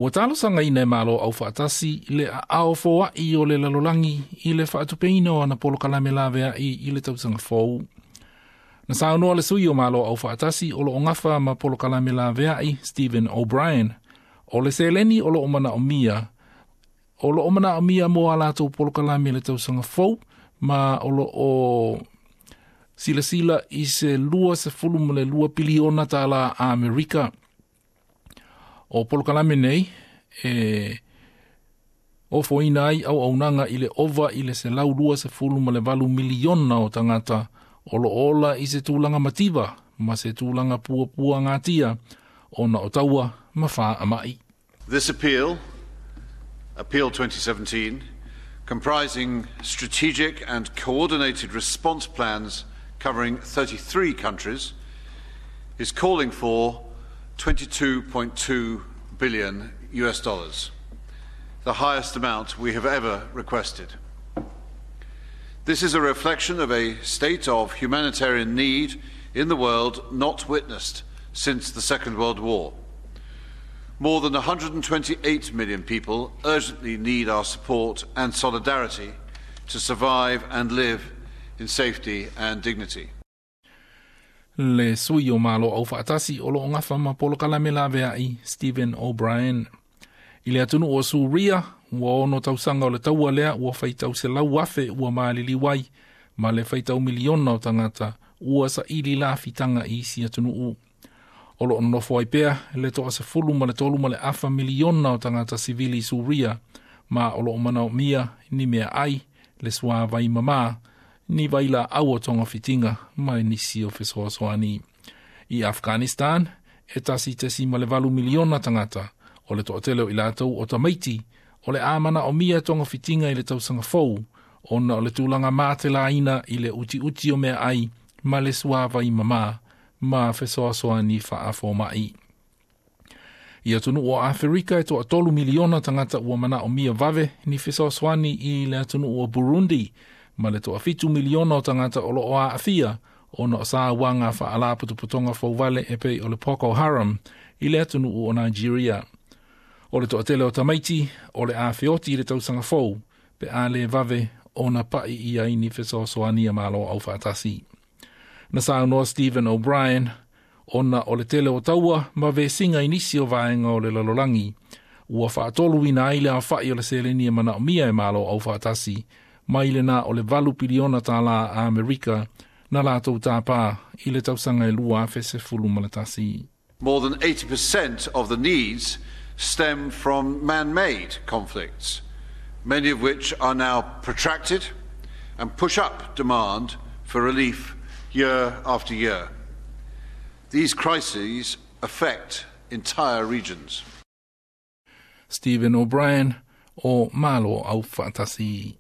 Ua talosagaina e Malo Aufaatasi le aao foai o le lalolagi i le faatupeina o ana polokalame laveai i le tausaga fou. Na saunoa le sui o Malo Aufaatasi o loo gafa ma polokalame laveai Stephen O'Brien, o le seleni o loo manaomia mo a latou polokalame i le tausaga fou, ma o loo silasila i se $22 piliona Amerika. O polokalame nei e ofoina ai auaunaga i le ova i le 128 miliona o tagata o loo ola i se tulaga mativa ma se tulaga puapuagatia ona o taua ma faamai. This appeal, Appeal 2017, comprising strategic and coordinated response plans covering 33 countries, is calling for US$22.2 billion, the highest amount we have ever requested. This is a reflection of a state of humanitarian need in the world not witnessed since the Second World War. More than 128 million people urgently need our support and solidarity to survive and live in safety and dignity. Le sui o Malo Aufaatasi o loo gafa ma polokalame laveai Stephen O'Brien. I le atunuu o Suria, ua 6 tausaga o le taua lea ua faitau 100,000 ua maliliu ai, ma le faitau miliona o tagata ua saili lafitaga i isi atunuu. O loo nonofo ai pea le 13.5 miliona o tagata sivili i Suria, ma o loo manaomia ni meaai, le suavai mamā, ni vailaau o togafitiga ma nisi o fesoasoani. I Afghanistan, e 1.8 miliona tagata, o le toatele o i latou o tamaiti, o le a manaomia togafitiga i le tausaga fou, ona o le tulaga matelaina i le utiuti o meaai ma le suavai mamā ma fesoasoani faafomai. I atunuu o Aferika e 3 miliona tagata ua manaomia vave ni fesoasoani i le atunuu o Burundi, ma le 7 miliona o tagata o loo aafia ona o sauaga faalapotopotoga fouvale e pei o le Boko Haram i le atunuu o Nigeria. O le toatele o tamaiti o le a feoti i le tausaga fou pe a le vave ona pai ia i ni fesoasoani a Malo Aufaatasi. Na saunoa Stephen O'Brien, ona o le tele o taua ma vesiga i nisi o vaega o le lalolagi, ua faatoluina ai le aofai o le seleni e manaomia e Malo Aufaatasi mai lena o le $8 piliona Amerika na latou tāpā i le tausaga e 2011. More than 80% of the needs stem from man made conflicts, many of which are now protracted and push up demand for relief year after year. These crises affect entire regions. Stephen O'Brien o Malo Aufaatasi.